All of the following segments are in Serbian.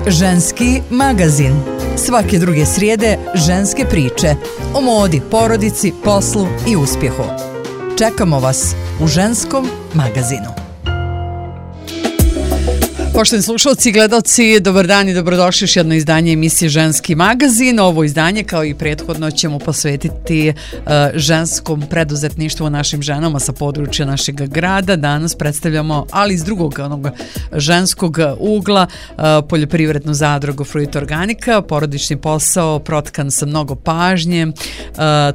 Ženski magazin. Svake druge srijede ženske priče o modi, porodici, poslu i uspjehu. Čekamo vas u Ženskom magazinu. Poštovani slušalci i gledalci, dobar dan i dobrodošli još jedno izdanje emisije Ženski magazin. Ovo izdanje, kao i prethodno, ćemo posvetiti ženskom preduzetništvu našim ženama sa područja našeg grada. Danas predstavljamo, ali iz drugog onog ženskog ugla, poljoprivrednu zadrugu Fruit Organika, porodični posao protkan sa mnogo pažnje,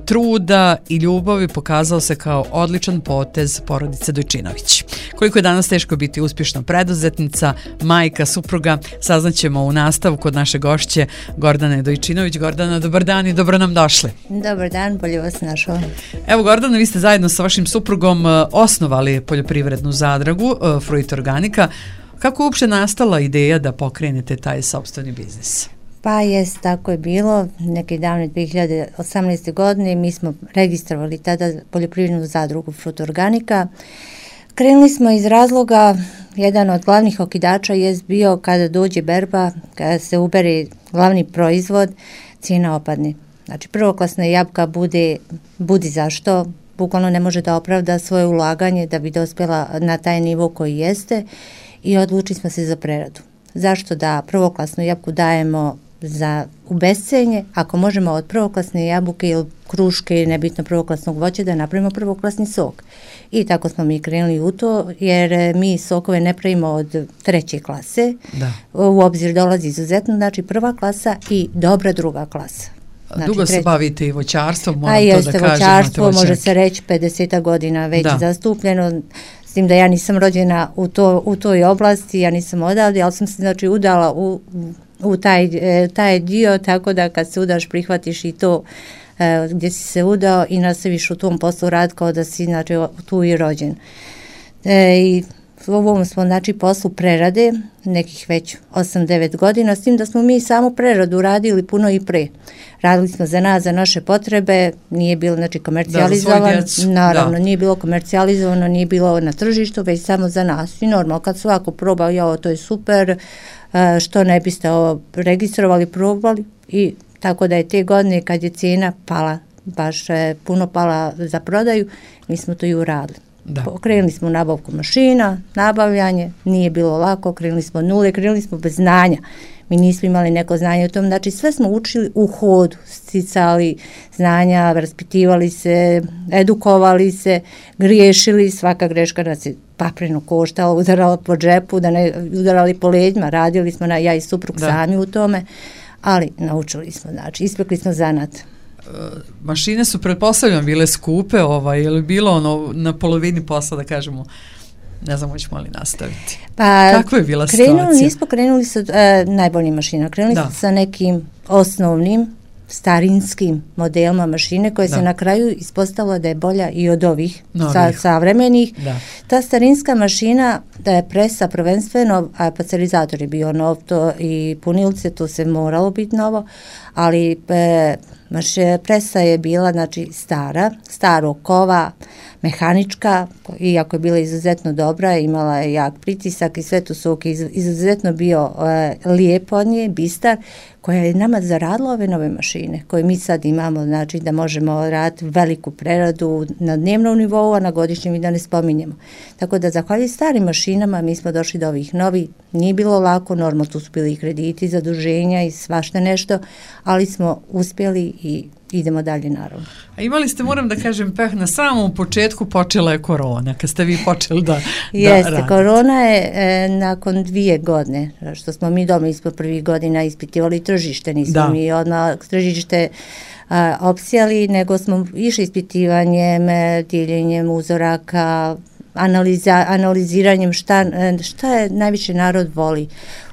truda i ljubavi, pokazao se kao odličan potez porodice Dojčinović. Koliko je danas teško biti uspješna preduzetnica, majka, supruga, saznaćemo u nastavku od naše gošće Gordane Dojčinović. Gordana, dobar dan i dobro nam došli. Dobar dan, bolje vas našla. Evo, Gordana, vi ste zajedno sa vašim suprugom osnovali poljoprivrednu zadrugu Fruit Organika. Kako je uopšte nastala ideja da pokrenete taj sopstveni biznis? Pa jest, tako je bilo. Neke davne 2018. godine mi smo registrovali tada poljoprivrednu zadrugu Fruit Organika. Krenuli smo iz razloga, jedan od glavnih okidača je bio kada dođe berba, kada se ubere glavni proizvod, cijena opadne. Znači prvoklasna jabuka budi zašto, bukvalno ne može da opravda svoje ulaganje da bi dospjela na taj nivo koji jeste i odlučili smo se za preradu. Zašto da prvoklasnu jabuku dajemo u bescenje, ako možemo od prvoklasne jabuke ili kruške, nebitno prvoklasnog voća, da napravimo prvoklasni sok. I tako smo mi krenuli u to, jer mi sokove ne pravimo od treće klase. Da. U obzir dolazi izuzetno, znači prva klasa i dobra druga klasa. Znači, dugo se bavite i voćarstvom, moram to da kažem. Voćarstvo, može se reći 50 godina već zastupljeno, s tim da ja nisam rođena u toj oblasti, ja nisam odavde, ali sam se znači udala u taj dio, tako da kad se udaš prihvatiš i to gdje si se udao i nastaviš u tom poslu rad kao da si znači, tu i rođen. I u ovom smo znači poslu prerade nekih već 8-9 godina, s tim da smo mi samu preradu radili puno i pre. Radili smo za nas, za naše potrebe, nije bilo znači komercijalizovano, naravno nije bilo komercijalizovano, nije bilo na tržištu, već samo za nas. I normalno kad svako probao, to je super, što ne biste ovo registrovali, probali, i tako da je te godine kad je cijena pala, baš puno pala za prodaju, mi smo to i uradili. Krenuli smo u nabavku mašina, nabavljanje, nije bilo lako, krenuli smo nule, krenuli smo bez znanja. Mi nismo imali neko znanje o tom, znači sve smo učili u hodu, sticali znanja, raspitivali se, edukovali se, griješili, svaka greška nas je papreno koštala, udarala po džepu, da ne udarali po leđima, radili smo ja i suprug sami u tome, ali naučili smo, znači ispekli smo zanat. Mašine su pretpostavljam bile skupe, je li bilo ono na polovini posla, da kažemo, ne znam, hoćemo li nastaviti? Pa, kako je bila situacija? Nismo krenuli sa najboljim mašinama, krenuli smo sa nekim osnovnim starinskim modelima mašine koje se na kraju ispostavila da je bolja i od ovih savremenih. Ta starinska mašina da je presa prvenstveno, a parcelizator je bio nov, to i punilce, to se moralo biti novo, ali presa je bila znači starog kova, mehanička, iako je bila izuzetno dobra, imala je jak pritisak i sve to sok izuzetno bio lijep od nje, bistar, koja je nama zaradila ove nove mašine koje mi sad imamo, znači da možemo raditi veliku preradu na dnevnom nivou, a na godišnjem i da ne spominjemo. Tako da zahvaljujući starim mašinama mi smo došli do ovih novih, nije bilo lako, normalno tu su bili i krediti, zaduženja i svašta nešto, ali smo uspjeli i idemo dalje naravno. A imali ste, moram da kažem, peh na samom početku počela je korona, kad ste vi počeli da radite. Korona je nakon 2 godine, što smo mi doma ispod prvih godina ispitivali tržište, nismo mi odmah tržište opsijali, nego smo išli ispitivanjem, dijeljenjem uzoraka, analiziranjem šta je najviše narod voli.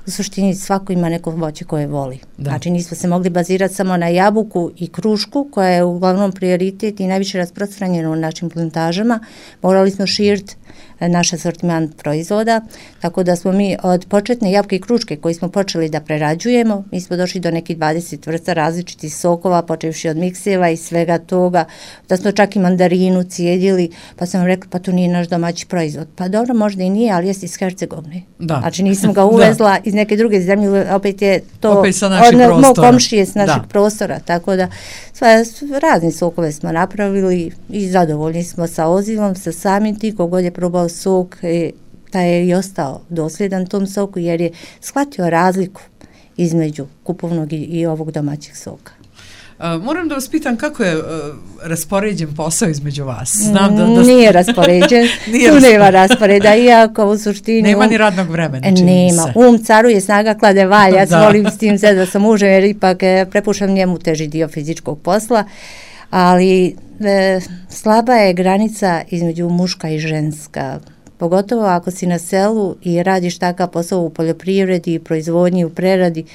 U suštini svako ima neko voće koje voli. Znači nismo se mogli bazirati samo na jabuku i krušku koja je uglavnom prioritet i najviše rasprostranjeno u našim plantažama. Morali smo širiti naš asortiman proizvoda, tako da smo mi od početne jabuke i kruške koji smo počeli da prerađujemo, mi smo došli do nekih 20 vrsta različitih sokova, počevši od mikseva i svega toga, da smo čak i mandarinu cijedili, pa sam rekla, pa to nije naš domaći proizvod. Pa dobro, možda i nije, ali jeste iz Hercegovine. Da. Znači nisam ga uvezla iz neke druge zemlje, opet je to opet sa naših prostora. Mog komšije s našeg prostora, tako da razni sokove smo napravili i zadovoljni smo sa ozivom, sa samim tim, kogod je probao sok, taj je i ostao dosljedan tom soku jer je shvatio razliku između kupovnog i ovog domaćeg soka. Moram da vas pitam kako je raspoređen posao između vas. Znam da nije raspoređen, tu nema rasporeda, iako u suštini... Nema ni radnog vremena, nema, caruje, snaga klade valja, ja se volim s tim da sam mužem jer ipak prepušam njemu teži dio fizičkog posla, ali slaba je granica između muška i ženska, pogotovo ako si na selu i radiš takav posao u poljoprivredi, proizvodnji, u preradi.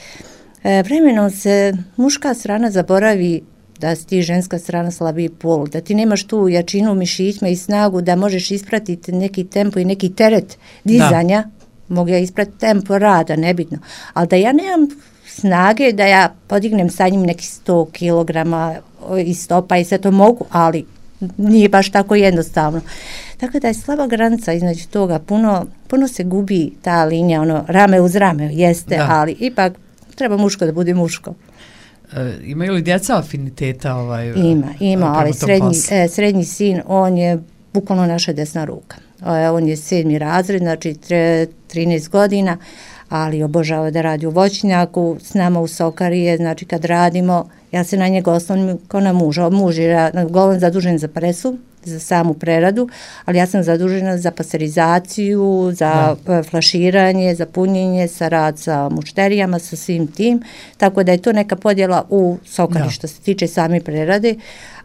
Vremenom se muška strana zaboravi da si ti ženska strana slabiji pol, da ti nemaš tu jačinu mišićima i snagu da možeš ispratiti neki tempo i neki teret dizanja, mogu ja ispratiti tempo rada, nebitno, ali da ja nemam snage da ja podignem sa njim neki 100 kilograma i stopa i sve to mogu, ali nije baš tako jednostavno. Tako da je slaba granica između toga, puno se gubi ta linija, rame uz rame, jeste, ali ipak treba muško da bude muško. Imaju li djeca afiniteta? Ima, ali srednji sin, on je bukvalno naša desna ruka. On je 7. razred, znači 13 godina, ali obožava da radi u voćnjaku, s nama u Sokarije, znači kad radimo, ja se na njega osnovnim kao na muža. Muž je uglavnom zadužen za presu, za samu preradu, ali ja sam zadužena za pasterizaciju, za flaširanje, za punjenje, sa rad sa mušterijama, sa svim tim, tako da je to neka podjela u Sokari što se tiče same prerade,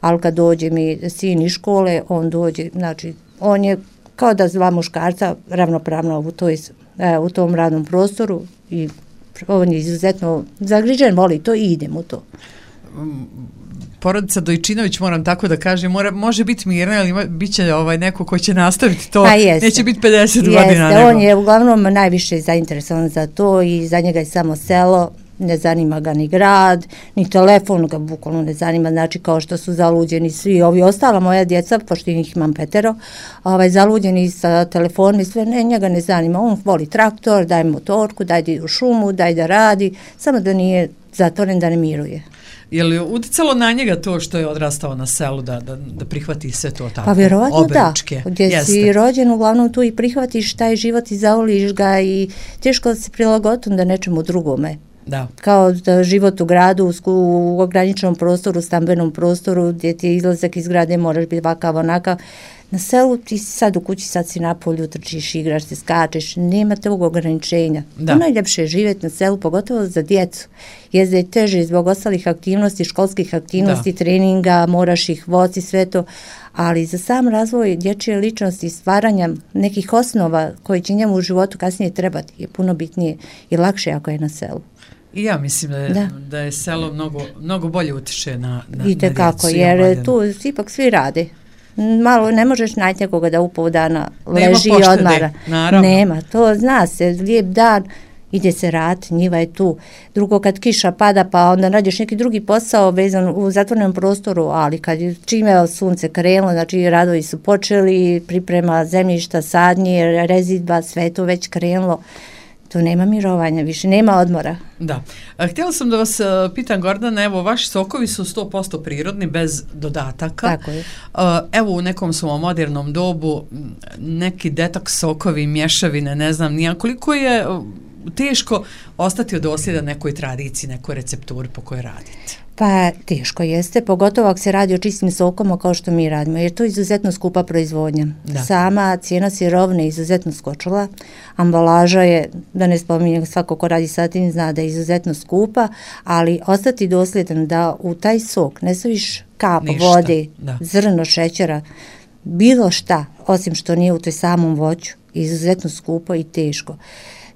ali kad dođe mi sin iz škole, on dođe, znači on je kao da dva muškarca ravnopravno u tom radnom prostoru i on je izuzetno zagrižen, voli to i idem u to. Porodica Dojčinović, moram tako da kažem, može biti mirna, ali bit će neko ko će nastaviti to, neće biti 50 godina. On je uglavnom najviše zainteresovan za to i za njega je samo selo, ne zanima ga ni grad, ni telefon ga bukvalno ne zanima, znači kao što su zaluđeni svi ovi ostala moja djeca, pošto ih imam 5, zaluđeni sa telefonom i sve, njega ne zanima, on voli traktor, daj motorku, daj da ide u šumu, daj da radi, samo da nije zatvoren, da ne miruje. Je li uticalo na njega to što je odrastao na selu da prihvati sve to tako? Pa vjerovatno obručke? Da, gdje si rođen uglavnom tu i prihvatiš taj život i zavoliš ga i teško se prilagoditi da nečemu drugome. Da. Kao da život u gradu, u ograničenom prostoru, stambenom prostoru, gdje ti je izlazak iz grade, moraš biti ovakav, onakav. Na selu ti si sad u kući, sad si na polju, trčiš, igraš se, skačeš, nema tog ograničenja. Najljepše je živjeti na selu, pogotovo za djecu. Jezda je teže zbog ostalih aktivnosti, školskih aktivnosti, treninga, moraš ih voditi, sve to, ali za sam razvoj dječje ličnosti i stvaranja nekih osnova koji će njemu u životu kasnije trebati je puno bitnije i lakše ako je na selu. I ja mislim da je selo mnogo bolje utiče na djecu. I tekako, jer tu ipak svi rade. Malo ne možeš naći nekoga da u pol dana leži i odmara. Nema, to zna se, lijep dan, ide se rad, njiva je tu. Drugo, kad kiša pada, pa onda nađeš neki drugi posao vezan u zatvorenom prostoru, ali kad čime sunce krenulo, znači radovi su počeli, priprema zemljišta, sadnje, rezidba, sve to već krenulo. To nema mirovanja, više nema odmora. Da. Htjela sam da vas pitam, Gordana, evo, vaši sokovi su 100% prirodni, bez dodataka. Tako je. Evo, u nekom svom modernom dobu, neki detoks sokovi, mješavine, ne znam, koliko je teško ostati dosljedan nekoj tradiciji, nekoj recepturi po kojoj radite? Pa teško jeste, pogotovo ako se radi o čistim sokama kao što mi radimo, jer to je izuzetno skupa proizvodnja. Sama cijena sirovine je izuzetno skočila, ambalaža je, da ne spominjem, svako ko radi sa tim zna da je izuzetno skupa, ali ostati dosljedan da u taj sok ne staviš kap vode, zrno šećera, bilo šta, osim što nije u toj samom voću, izuzetno skupo i teško.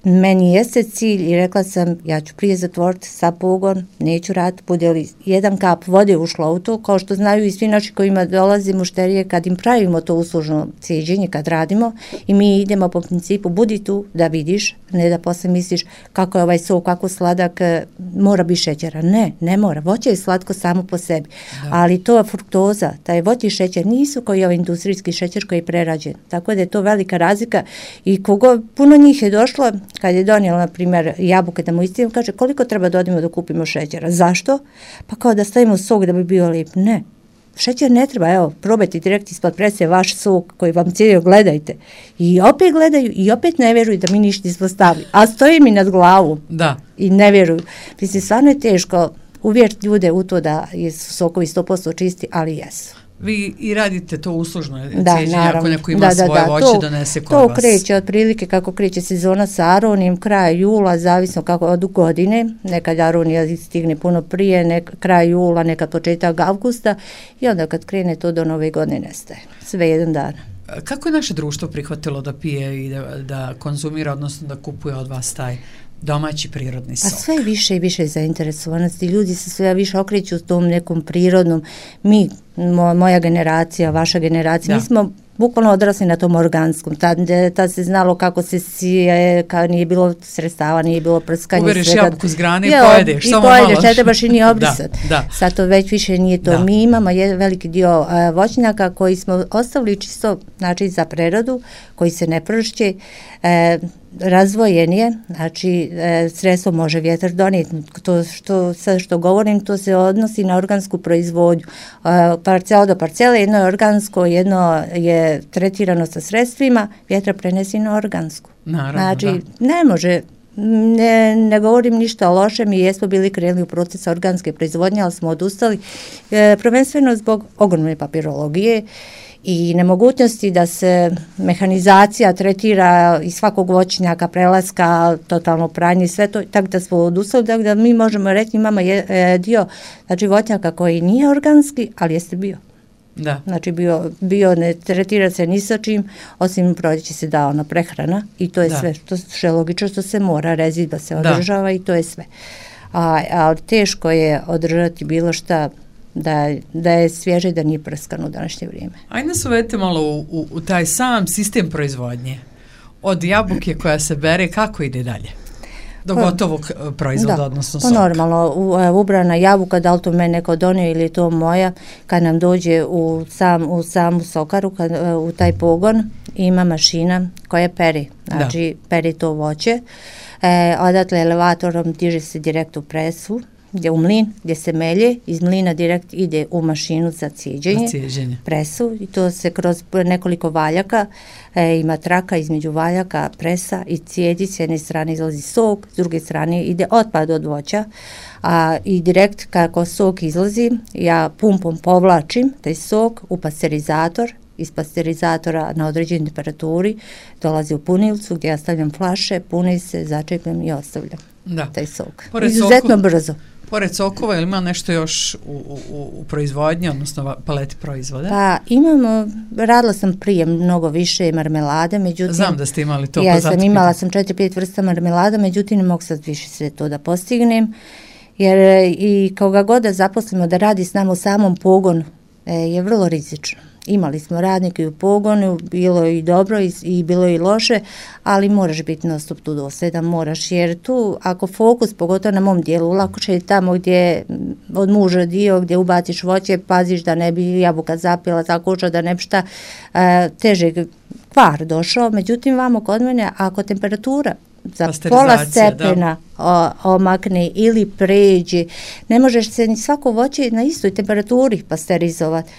meni jeste cilj i rekla sam ja ću prije zatvoriti sa pogon, neću raditi, bude li jedan kap vode ušla u to, kao što znaju i svi naši kojima dolaze mušterije kad im pravimo to uslužno cijeđenje, kad radimo i mi idemo po principu budi tu da vidiš, ne da posle misliš kako je ovaj sok, kako sladak, mora biti šećera. Ne mora. Voće je slatko samo po sebi, ali to fruktoza, taj voće i šećer nisu koji ovaj industrijski šećer koji je prerađen. Tako da je to velika razlika i puno njih je došlo kad je donijela, na primjer, jabuke da mu istim, kaže koliko treba da odimo da kupimo šećera. Zašto? Pa kao da stavimo sok da bi bio lijep. Ne. Šećer ne treba, evo, probajte direkt ispod prese vaš sok koji vam cijelio, gledajte. I opet gledaju i opet ne vjeruju da mi ništa nismo stavili. A stoji mi nad glavu. Da. I ne vjeruju. Mislim, stvarno je teško uvjeriti ljude u to da su sokovi 100% čisti, ali jesu. Vi i radite to uslužno cijeđenje, ako neko ima svoje voće, donese kod vas. To kreće otprilike kako kreće sezona sa aronijom, kraja jula, zavisno kako od godine, nekad aronija stigne puno prije, kraj jula, nekad početak avgusta i onda kad krene to do nove godine nestaje, sve jedan dan. Kako je naše društvo prihvatilo da pije i da konzumira, odnosno da kupuje od vas taj domaći prirodni sok? A sve više i više zainteresovanosti. Ljudi se sve više okreću u tom nekom prirodnom. Mi, moja generacija, vaša generacija, mi smo bukvalno odrasli na tom organskom. Tad se znalo kako se sije, kad nije bilo sredstava, nije bilo prskanja. Uberiš jabuku s grane i pojedeš. I pojedeš, ne trebaš i nije obrisati. Sad to već više nije to. Mi imamo veliki dio voćnjaka koji smo ostavili čisto, znači za prerodu, koji se ne pršće, razvojen je, znači sredstvo može vjetar donijeti. To što govorim, to se odnosi na organsku proizvodnju. Parcela do parcele, jedno je organsko, jedno je tretirano sa sredstvima, vjetar prenesi na organsku. Naravno, znači, ne može, ne govorim ništa loše, mi jesmo bili krenuli u proces organske proizvodnje, ali smo odustali, prvenstveno zbog ogromne papirologije i nemogućnosti da se mehanizacija tretira iz svakog voćnjaka, prelaska, totalno pranje, sve to, tako da smo odustali, tako da mi možemo reći, imamo dio, znači voćnjaka koji nije organski, ali jeste bio. Da. Znači bio ne tretira se ni sa čim, osim proljeće se dao na prehrana i to je sve, što je logično, što se mora, rezidba se održava i to je sve. Ali teško je održati bilo šta da je svježe i da nije prskano u današnje vrijeme. Ajde nas uvedite malo u taj sam sistem proizvodnje. Od jabuke koja se bere, kako ide dalje? Do gotovog proizvoda, odnosno soka. Normalno, ubrana jabuka, da li to mene neko donio ili to moja, kad nam dođe u samu sokaru, u taj pogon, ima mašina koja peri. Znači, peri to voće. Odatle elevatorom diže se direkt u presu, u mlin, gdje se melje, iz mlina direkt ide u mašinu za cijeđenje, presu, i to se kroz nekoliko valjaka, ima traka između valjaka, presa i cijedi, s jedne strane izlazi sok, s druge strane ide otpad od voća, i direkt kako sok izlazi, ja pumpom povlačim taj sok u pasterizator, iz pasterizatora na određenoj temperaturi dolazi u punilcu gdje ja stavljam flaše, puni se, začepljam i ostavljam taj sok. Izuzetno brzo. Pored sokova, ili ima nešto još u proizvodnji, odnosno paleti proizvoda? Pa radila sam prije mnogo više marmelade, međutim... Znam da ste imali to. Imala sam 4-5 vrsta marmelada, međutim ne mogu sad više sve to da postignem, jer i kao ga god da zaposlimo da radi s nama u samom pogonu je vrlo rizično. Imali smo radnike u pogonu, bilo je i dobro i bilo je i loše, ali moraš biti na stop tu dosljedan, moraš, jer tu ako fokus, pogotovo na mom dijelu, lako će tamo gdje od muža dio, gdje ubaciš voće, paziš da ne bi jabuka zapila, tako da ne bi šta težeg kvar došao, međutim vamo kod mene, ako temperatura za pola stepena omakne ili pređe, ne možeš se ni svako voće na istoj temperaturi pasterizovati.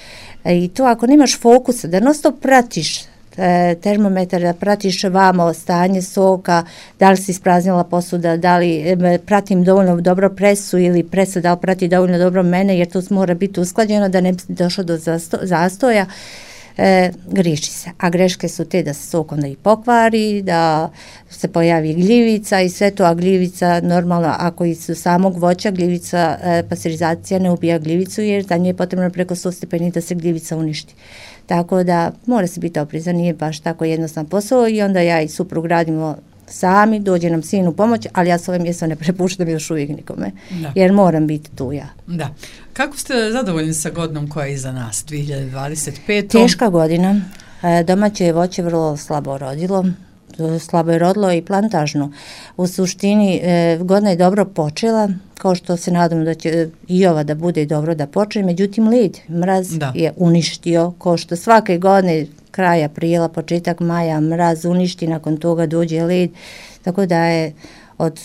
I to ako nemaš fokusa, da non-stop pratiš termometar, da pratiš vamo stanje soka, da li si ispraznila posuda, da li pratim dovoljno dobro presu ili presa da li prati dovoljno dobro mene, jer to mora biti usklađeno da ne bi došlo do zastoja, griješi se. A greške su te da se sok onda i pokvari, da se pojavi gljivica i sve to, a gljivica normalno ako iz samog voća gljivica, pasterizacija ne ubija gljivicu jer za nje je potrebno preko 100 stepeni da se gljivica uništi. Tako da mora se biti oprezan, nije baš tako jednostavan posao i onda ja i suprug radimo sami, dođe nam sin u pomoć, ali ja s ove mjesto ne prepuštam još uvijek nikome, jer moram biti tu ja. Da. Kako ste zadovoljni sa godinom koja je iza nas, 2025? Teška godina, domaće voće vrlo slabo rodilo, slabo je rodilo i plantažno. U suštini godina je dobro počela, kao što se nadam da će i ova da bude dobro da počne, međutim led, mraz je uništio, kao što svake godine kraj aprila, početak maja, mraz uništi, nakon toga dođe led, tako da je od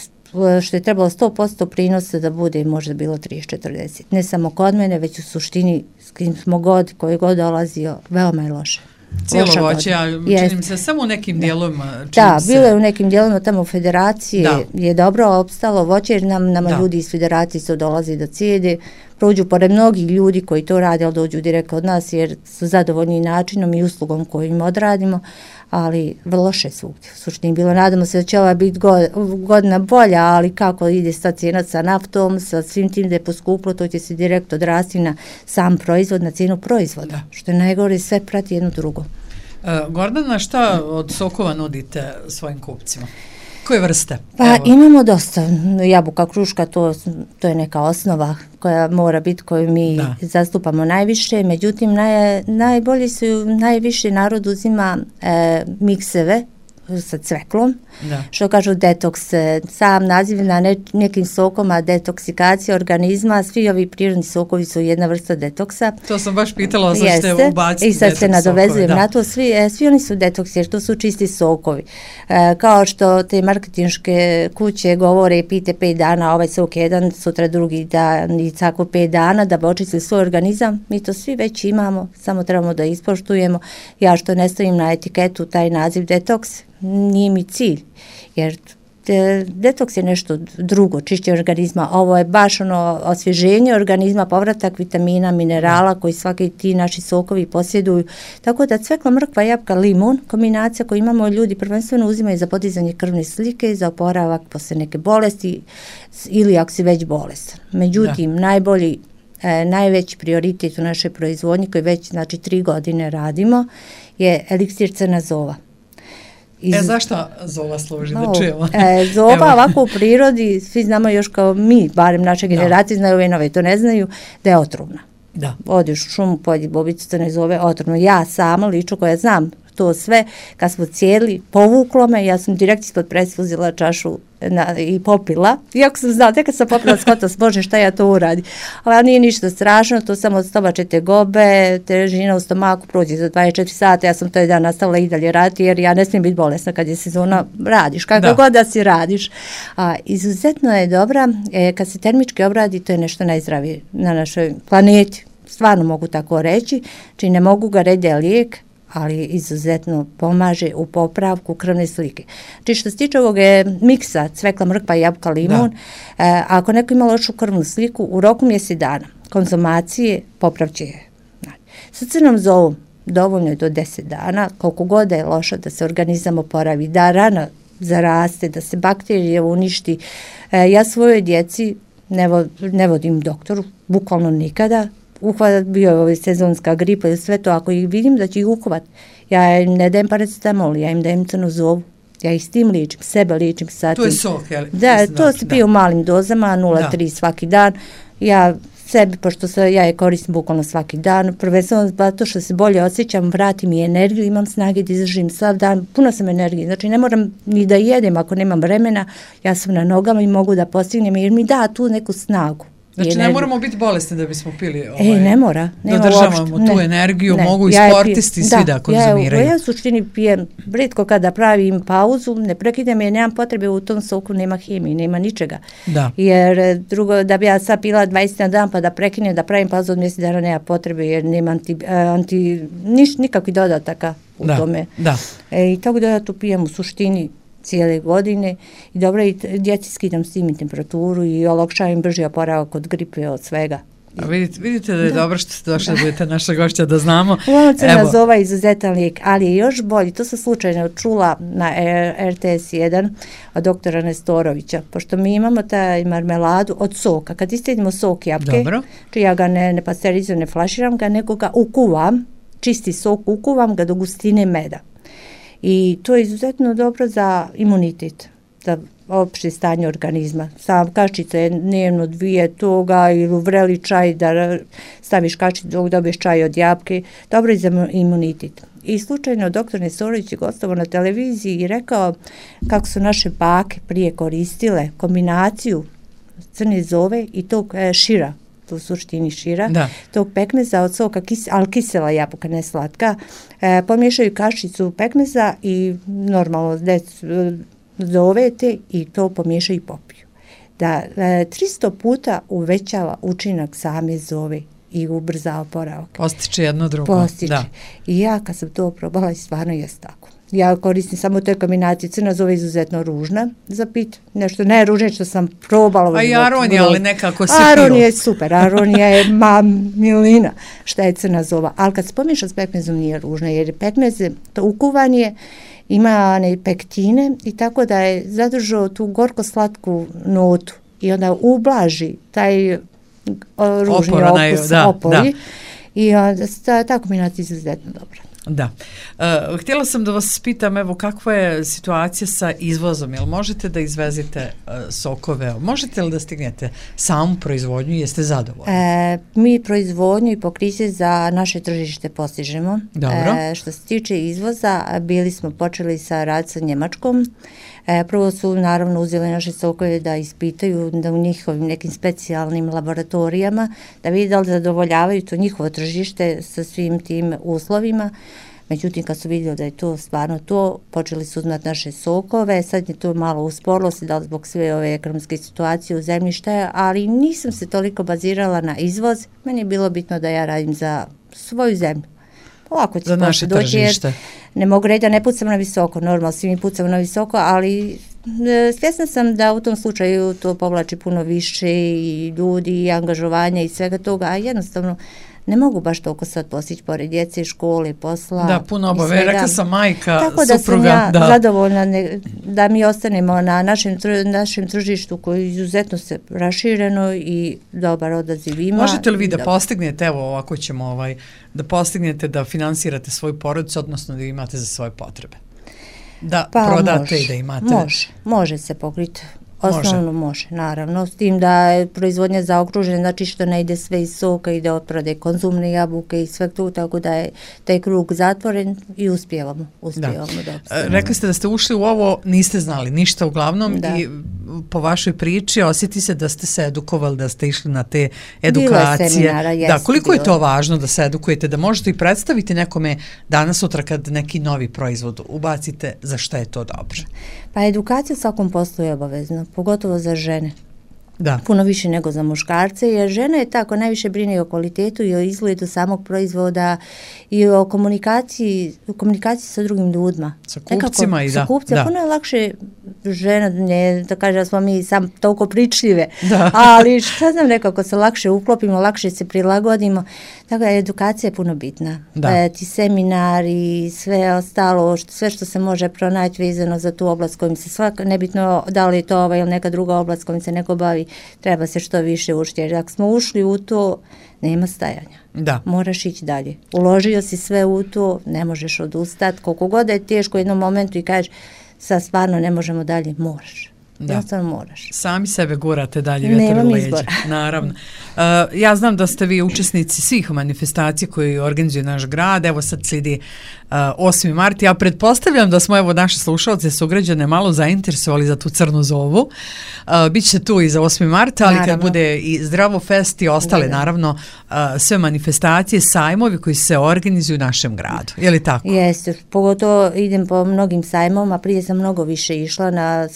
što je trebalo 100% prinosa da bude možda bilo 30-40. Ne samo kod mene, već u suštini s kim smo koji god dolazio, veoma je loše. Cijelo voće, a čini mi se samo u nekim dijelovima. Da, bilo je u nekim dijelovima tamo u federaciji, je dobro opstalo voće, jer nama ljudi iz federacije su dolazi da cijede, prođu pored mnogih ljudi koji to rade, ali dođu direkt od nas jer su zadovoljni načinom i uslugom koju im odradimo, ali vrlo loše svugdje. U suštini bilo, nadamo se da će ova biti godina bolja, ali kako ide sad cijena sa naftom, sa svim tim da je poskuplo, to će se direkt odrasti na sam proizvod, na cijenu proizvoda, što je najgore, sve prati jedno drugo. Gordana, šta od sokova nudite svojim kupcima? Koje vrste? Pa imamo dosta. Jabuka, kruška, to je neka osnova koja mora biti, koju mi zastupamo najviše. Međutim, najviše narod uzima mikseve sa cveklom, što kažu detoks, sam naziv na nekim sokoma detoksikacija organizma, svi ovi prirodni sokovi su jedna vrsta detoksa. To sam baš pitala, sad ćete ubaciti i sad se nadovezujem na to, svi oni su detoksi jer to su čisti sokovi. Kao što te marketinške kuće govore pijte 5 dana, ovaj sok jedan, sutra drugi dan i tako 5 dana da bi očistili svoj organizam, mi to svi već imamo, samo trebamo da ispoštujemo. Ja što ne stavim na etiketu taj naziv detoks, nije mi cilj, jer detoks je nešto drugo, čišćenje organizma, ovo je baš osvježenje organizma, povratak vitamina, minerala koji svaki ti naši sokovi posjeduju, tako da cvekla, mrkva, jabuka, limun, kombinacija koju imamo ljudi prvenstveno uzimaju za podizanje krvne slike, za oporavak posle neke bolesti ili ako si već bolestan. Međutim, najveći prioritet u našoj proizvodnji koji već 3 godine radimo je eliksir crna zova. Zašto zova služi da čujemo? Zova ovako u prirodi, svi znamo još kao mi, barem naše generacije znaju, ove nove to ne znaju, da je otrovna. Odiš u šumu, pojedi bobicu crne zove, otrovno. Ja sama, lično koja znam to sve, kad smo cijeli, povuklo me, ja sam direkt ispod presa uzela čašu i popila. Iako sam znala, tek kad sam popila skota, Bože, šta ja to uradim. Ali nije ništa strašno, to samo stomače tegobe, težina u stomaku prođe za 24 sata, ja sam taj dan nastavila i dalje raditi, jer ja ne smijem biti bolesna kad je sezona, radiš, kako god da si radiš. Izuzetno je dobra, kad se termički obradi, to je nešto najzdravije na našoj planeti. Stvarno mogu tako reći, či ne mogu ga reći da je lijek, ali izuzetno pomaže u popravku krvne slike. Znači što se tiče ovog miksa cvekla, mrkva, jabuka, limun, ako neko ima lošu krvnu sliku, u roku mjesec dana konzumacije popravće je. Sa crnom zovom dovoljno je do 10 dana, koliko god je loša da se organizam oporavi, da rana zaraste, da se bakterije uništi. Ja svojoj djeci ne vodim doktoru, bukvalno nikada. Bio je ovaj sezonska gripa i sve to, ako ih vidim da će ih uhvat, ja im ne dajem paracetamol, ja im dajem crnu zovu, ja ih s tim ličim, sebe ličim sa tim. To je sok, jel? Da, to se pije u malim dozama, 0,3 svaki dan, ja sebi, pošto ja je koristim bukvalno svaki dan, prvenstveno zato što se bolje osjećam, vratim i energiju, imam snage da izdržim sav dan, puno sam energije, znači ne moram ni da jedem ako nemam vremena, ja sam na nogama i mogu da postignem jer mi da tu neku snagu. Znači ne moramo biti bolesni da bismo pili ne mora dodržavamo tu energiju, mogu i sportisti svi da konzumiraju. Ja u suštini pijem, rijetko kada pravim pauzu, ne prekidam jer nemam potrebe, u tom soku nema hemije, nema ničega. Jer drugo, da bi ja sad pila 20 na dan pa da prekinem, da pravim pauzu od mjesec dana nema potrebe jer nema nikakvih dodataka u tome. I tako da ja tu pijem u suštini cijele godine i dobro i djeci skidam s tim i temperaturu i olakšavam brži oporavak od gripe, od svega. A vidite da je dobro što ste došli da budete naša gošća da znamo. Uglavnom crna zova izuzetan lijek, ali je još bolji, to sam slučajno čula na RTS 1 od doktora Nestorovića, pošto mi imamo taj marmeladu od soka, kad istedimo sok jabuke, či ja ga ne pasterizujem, ne flaširam ga, nego ga ukuvam, čisti sok ukuvam ga do gustine meda. i to je izuzetno dobro za imunitet, za opšte stanje organizma. Sam kašičica je dnevno 2 toga ili u vreli čaj da staviš kašičicu dok dobiješ čaj od jabuke, dobro je za imunitet. I slučajno doktor Nesorović je gostovao na televiziji i rekao kako su naše bake prije koristile kombinaciju crne zove i tog šira, to u suštini šira, tog pekmeza od soka, ali kisela jabuka, ne slatka, pomiješaju kašicu pekmeza i normalno zovete i to pomiješaju i popiju. Da 300 puta uvećava učinak same zove i ubrza oporavak. Postiče jedno drugo. Postiče. Da. I ja kad sam to probala, stvarno jest tako. Ja koristim samo te kombinacije. Crna zove izuzetno ružna za pit. Nešto najružnije što sam probala. A i aronija, ali nekako se aronija je super. Aronija je milina šta je crna zova. Ali kad se pomiješa s pekmezom nije ružna, jer pekmez to ukuvanje ima pektine i tako da je zadržao tu gorko-slatku notu i onda ublaži taj ružni okus, opori. I ta kombinacija je izuzetno dobra. Da. Htjela sam da vas pitam, evo, kakva je situacija sa izvozom? Jel možete da izvezite sokove? Možete li da stignete samu proizvodnju? Jeste zadovoljni? Mi proizvodnju i pokriće za naše tržište postižemo. Dobro. Što se tiče izvoza, bili smo počeli sa rad sa Njemačkom. Prvo su naravno uzeli naše sokove da ispitaju da u njihovim nekim specijalnim laboratorijama, da vidi da li zadovoljavaju to njihovo tržište sa svim tim uslovima. Međutim, kad su vidjeli da je to stvarno to, počeli su uzmati naše sokove, sad je to malo usporilo se, da li zbog sve ove ekonomske situacije u zemlji šta je, ali nisam se toliko bazirala na izvoz, meni je bilo bitno da ja radim za svoju zemlju. Ovako za naše tržište. Ne mogu reći da ne pucam na visoko, normalno svi mi pucamo na visoko, ali svjesna sam da u tom slučaju to povlači puno više i ljudi i angažovanja i svega toga, a jednostavno ne mogu baš toliko sad postići pored djece, škole, posla. Da, puno obave, rekla sam majka, tako supruga. Tako da sam ja zadovoljna da mi ostanemo na našem tržištu koji je izuzetno se rašireno i dobar odaziv ima. Možete li vi da postignete, evo ovako ćemo da postignete da finansirate svoju porodicu, odnosno da imate za svoje potrebe? Da prodate i da imate? Može se pokriti. Osnovno može, naravno, s tim da je proizvodnja zaokružena, znači što ne ide sve iz soka, ide od prode konzumne jabuke i sve to, tako da je taj krug zatvoren i uspijevamo da opstanemo. Rekli ste da ste ušli u ovo, niste znali ništa uglavnom i po vašoj priči osjeti se da ste se edukovali, da ste išli na te edukacije. Bilo je seminara, da, koliko je to važno da se edukujete, da možete i predstaviti nekome danas sutra kad neki novi proizvod ubacite, za šta je to dobro? Pa edukacija u svakom poslu je obavezna, pogotovo za žene. Da. Puno više nego za muškarce, jer žena je tako najviše brine o kvalitetu i o izgledu samog proizvoda i o komunikaciji sa drugim ljudima. Sa kupcima i da. Sa kupcima, puno je lakše žena, ne da kaže da smo mi sam toliko pričljive, ali šta znam, nekako se lakše uklopimo, lakše se prilagodimo, tako da edukacija je puno bitna. Ti seminari, sve ostalo, sve što se može pronaći vezano za tu oblast kojim se nebitno da li je to ova ili neka druga oblast kojim se neko bavi, treba se što više učiti, jer ako smo ušli u to, nema stajanja. Da. Moraš ići dalje. Uložio si sve u to, ne možeš odustati. Koliko god je teško u jednom momentu i kažeš sad stvarno ne možemo dalje, moraš. Jednostavno moraš. Sami sebe gurate dalje vjetar u leđa. Naravno. Ja znam da ste vi učesnici svih manifestacija koje organizuje naš grad. Evo sad slijedi 8. mart. Ja pretpostavljam da smo evo naše slušalce sugrađane malo zainteresovali za tu crnu zovu. Biće tu i za 8. marta, ali naravno, kad bude i Zdravo fest i ostale, naravno, sve manifestacije, sajmovi koji se organizuju u našem gradu. Je li tako? Jeste. Pogotovo idem po mnogim sajmovima. Prije sam mnogo više išla na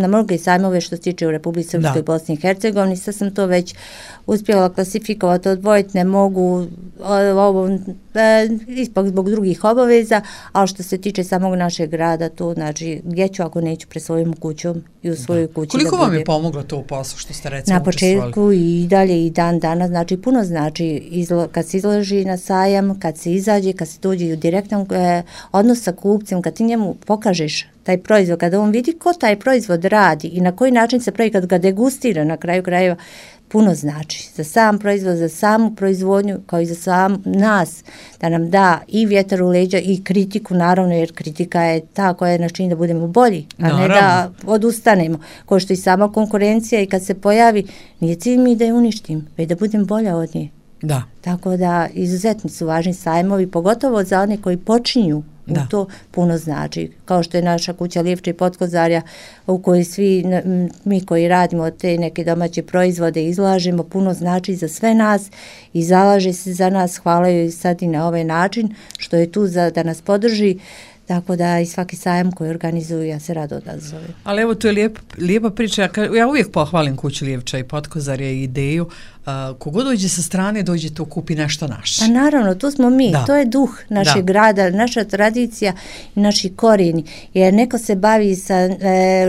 mnoge sajmove što se tiče u Republici Srpskoj i Bosni i Hercegovini. Sad sam to već uspjela klasifikovati, odvojiti, ne mogu ipak zbog drugih obaveza, ali što se tiče samog našeg grada, to znači gdje ću ako neću pre svojom kućom i u svojoj kući. Koliko vam je pomoglo to u poslu što ste recimo na početku i dalje i dan danas, znači puno znači kad se izloži na sajam, kad se izađe, kad se dođe u direktan odnos sa kupcem, kad ti njemu pokažeš taj proizvod, kada on vidi ko taj proizvod radi i na koji način se pravi, kad ga degustira na kraju krajeva, puno znači za sam proizvod, za samu proizvodnju, kao i za sam nas, da nam da i vjetar u leđa i kritiku, naravno, jer kritika je ta koja nas čini da budemo bolji, a ne da odustanemo. Kao što i sama konkurencija, i kad se pojavi, nije cilj mi da je uništim, već da budem bolja od nje. Da. Tako da izuzetno su važni sajmovi, pogotovo za one koji počinju u to puno znači. Kao što je naša kuća Livče i Potkozarja, u kojoj svi mi koji radimo te neke domaće proizvode izlažemo, puno znači za sve nas i zalaže se za nas. Hvala joj sad i na ovaj način što je tu da nas podrži. Tako da i svaki sajam koji organizuju, ja se rado odazovem. Ali evo, to je lijepa priča. Ja uvijek pohvalim kuću Livča i Potkozarja i ideju. Kogo dođe sa strane, dođe to kupi nešto naše. Pa naravno, tu smo mi. To je duh našeg grada, naša tradicija i naši korijeni. Jer neko se bavi sa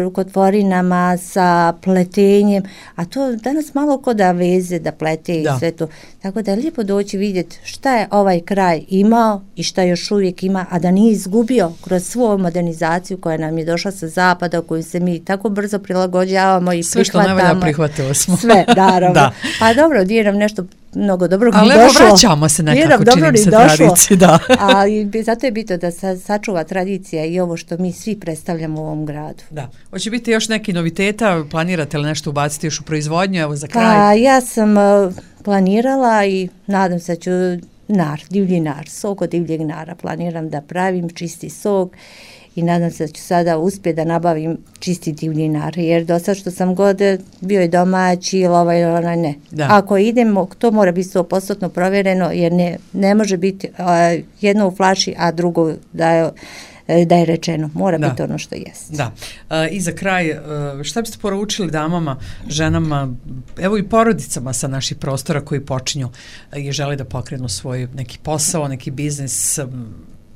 rukotvorinama, sa pletenjem, a to danas malo ko da veze, da plete i sve to. Tako da je lijepo doći vidjeti šta je ovaj kraj imao i šta još uvijek ima, a da nije izgubio kroz svu modernizaciju koja nam je došla sa zapada, koju se mi tako brzo prilagođavamo i sve prihvatamo. Sve što najbolja prihvatilo smo. Sve, naravno. Pa dobro, nije nam nešto mnogo dobrog ali došlo. Ali evo vraćamo se nekako, čini se tradiciji. Ali zato je bitno da sačuva tradicija i ovo što mi svi predstavljamo u ovom gradu. Da. Hoće biti još neki noviteta? Planirate li nešto ubaciti još u proizvodnju? Evo za kraj. Pa ja sam planirala i nadam se da ću divlji nar, sok od divljeg nara. Planiram da pravim čisti sok i nadam se da ću sada uspjeti da nabavim čisti divlji nar, jer do sad što sam god bio je domaći ili ne. Da. Ako idemo, to mora biti 100% provjereno, jer ne može biti jedno u flaši, a drugo da je rečeno. Mora biti ono što jest. Da. I za kraj, šta biste poručili damama, ženama, evo i porodicama sa naših prostora koji počinju i žele da pokrenu svoj neki posao, neki biznis?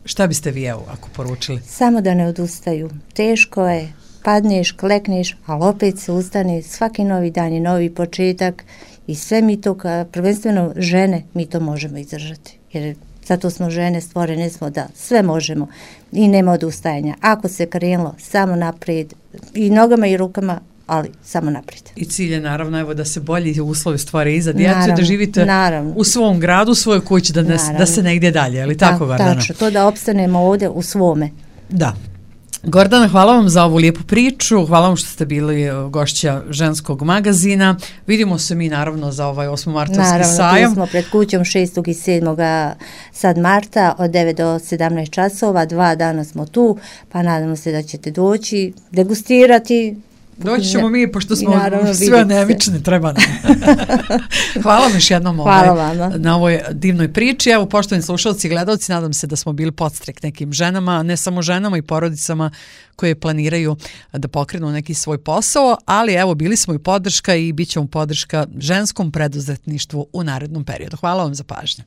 Šta biste vi ako poručili? Samo da ne odustaju. Teško je, padneš, klekneš, ali opet se ustane, svaki novi dan je novi početak i sve mi to, prvenstveno žene, mi to možemo izdržati. Jer zato smo žene, stvorene smo da sve možemo i nema odustajanja. Ako se krenulo, samo naprijed i nogama i rukama, ali samo naprijed. I cilj je naravno evo da se bolji uslovi stvore i za djecu, da živite u svom gradu, u svojoj kući, da se negdje dalje, ali tako Gordana? Tačno, to da opstanemo ovdje u svome. Da. Gordana, hvala vam za ovu lijepu priču, hvala vam što ste bili gošća ženskog magazina. Vidimo se mi naravno za ovaj 8. martovski sajam. Naravno, tu smo pred kućom 6. i 7. sad marta od 9 do 17 časova, 2 dana smo tu, pa nadamo se da ćete doći, degustirati. Doći ćemo mi, pošto smo sve nevični, treba nam. Hvala vam još jednom na ovoj divnoj priči. Evo, poštovani slušalci i gledalci, nadam se da smo bili podstrek nekim ženama, ne samo ženama i porodicama koje planiraju da pokrenu neki svoj posao, ali evo, bili smo i podrška i bit ćemo podrška ženskom preduzetništvu u narednom periodu. Hvala vam za pažnju.